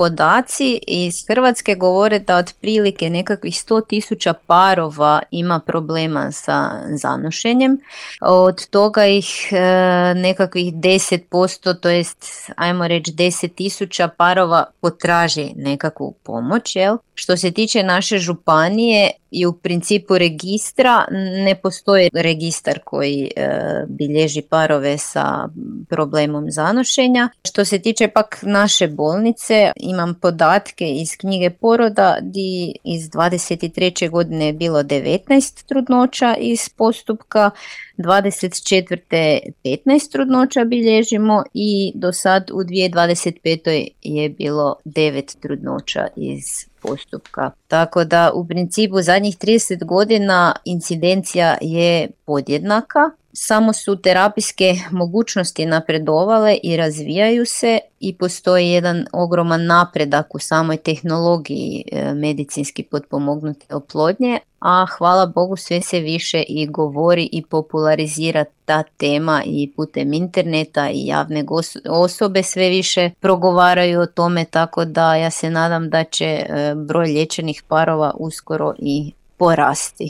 podaci iz Hrvatske govore da otprilike nekakvih 100.000 parova ima problema sa zanošenjem. Od toga ih nekakvih 10%, to jest ajmo reći 10.000 parova potraži nekakvu pomoć. Jel? Što se tiče naše županije i u principu registra, ne postoji registar koji bilježi parove sa problemom zanošenja. Što se tiče pak naše bolnice, imam podatke iz knjige poroda di iz 23. godine je bilo 19 trudnoća iz postupka, 24. 15 trudnoća bilježimo i do sad u 2025. je bilo 9 trudnoća iz postupka. Tako da u principu zadnjih 30 godina incidencija je podjednaka, samo su terapijske mogućnosti napredovale i razvijaju se i postoji jedan ogroman napredak u samoj tehnologiji medicinski potpomognute oplodnje, a hvala Bogu sve se više i govori i popularizira ta tema i putem interneta i javne osobe sve više progovaraju o tome, tako da ja se nadam da će broj liječenih parova uskoro i porasti.